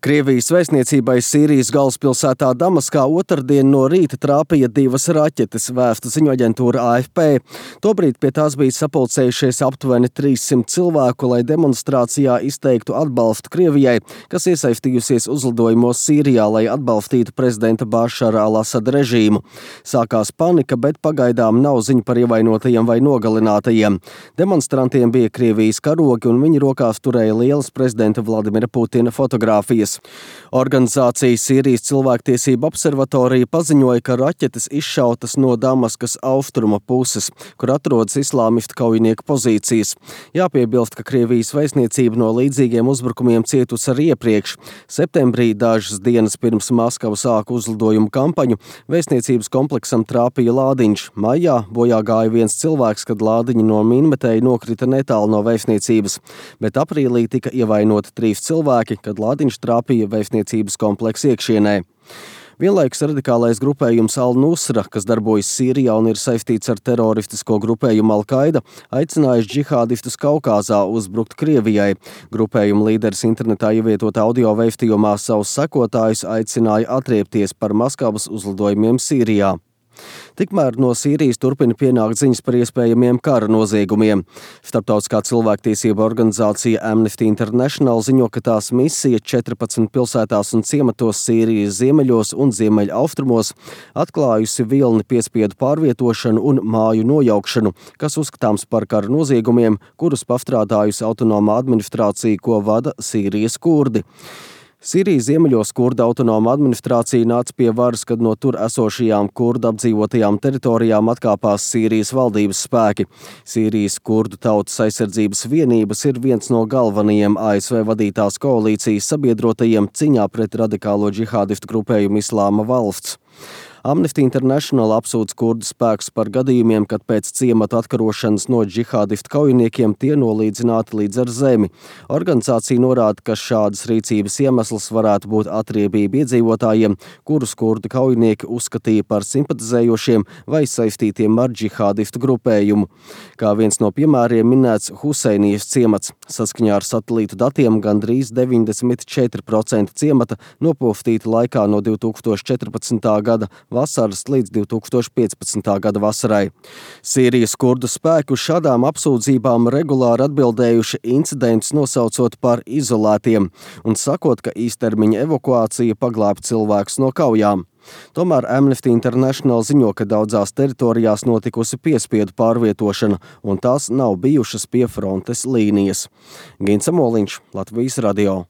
Krievijas vēstniecībai Sīrijas galvaspilsētā Damaskā otrdien no rīta trāpīja 2 raķetes, vēsta ziņu aģentūra AFP. Tobrīd pie tās bija sapulcējušies aptuveni 300 cilvēku, lai demonstrācijā izteiktu atbalstu Krievijai, kas iesaistījusies uzlidojumos Sīrijā, lai atbalstītu prezidenta Bašara al-Asada režīmu. Sākās panika, bet pagaidām nav ziņu par ievainotajiem vai nogalinātajiem. Demonstrantiem bija Krievijas karogi un viņi rokās turēja lielas prezidenta Vladimira Putina fotogrāfijas. Organizācija Sīrijas cilvēktiesību observatorija paziņoja, ka raķetes izšautas no Damaskas austruma puses, kur atrodas islāmistu kaujinieku pozīcijas. Jāpiebilst, ka Krievijas vēstniecība no līdzīgiem uzbrukumiem cietusi arī iepriekš. Septembrī, dažas dienas pirms Maskava sāka uzlidojumu kampaņu, vēstniecības kompleksam trāpīja lādiņš. Maijā bojā gāja viens cilvēks, kad lādiņi no minmetēja nokrita netālu no vēstniecības, bet aprīlī tika ievainoti 3 cilvēki, kad lādiņš trāpīja vēstniecības kompleksa iekšienē. Vienlaikus radikālais grupējums Al-Nusra, kas darbojas Sīrijā un ir saistīts ar teroristisko grupējumu Al-Qaida, aicinājuši džihādistus Kaukāzā uzbrukt Krievijai. Grupējuma līderis internetā ievietotā audio vēstījumā savus sekotājus aicināja atriepties par Maskavas uzlidojumiem Sīrijā. Tikmēr no Sīrijas turpina pienākt ziņas par iespējamiem kara noziegumiem. Starptautiskā cilvēktiesība organizācija Amnesty International ziņo, ka tās misija 14 pilsētās un ciematos Sīrijas ziemeļos un ziemeļaustrumos atklājusi vilni piespiedu pārvietošanu un māju nojaukšanu, kas uzskatāms par kara noziegumiem, kurus pastrādājusi autonomā administrācija, ko vada Sīrijas kurdi. Sīrijas ziemeļos kurdu autonoma administrācija nāca pie varas, kad no tur esošajām kurdu apdzīvotajām teritorijām atkāpās Sīrijas valdības spēki. Sīrijas kurdu tautas aizsardzības vienības ir viens no galvenajiem ASV vadītās koalīcijas sabiedrotajiem ciņā pret radikālo džihādistu grupējumu Islāma valsts. Amnesty International apsūdz kurdu spēkus par gadījumiem, kad pēc ciematu atkarošanas no džihādistu kaujiniekiem tie nolīdzināti līdz ar zemi. Organizācija norāda, ka šādas rīcības iemesls varētu būt atriebība iedzīvotājiem, kurus kurdu kaujinieki uzskatīja par simpatizējošiem vai saistītiem ar džihādistu grupējumu. Kā viens no piemēriem minēts Huseinijas ciemats. Saskaņā ar satelītu datiem gandrīz 94% ciemata nopoftīti laikā no 2014. gada vasaras līdz 2015. gada vasarai. Sīrijas kurdu spēku šādām apsūdzībām regulāri atbildējuši incidentus nosaucot par izolētiem un sakot, ka īstermiņa evakuācija paglāba cilvēkus no kaujām. Tomēr Amnesty International ziņo, ka daudzās teritorijās notikusi piespiedu pārvietošana un tās nav bijušas pie frontes līnijas. Gins Amoliņš, Latvijas radio.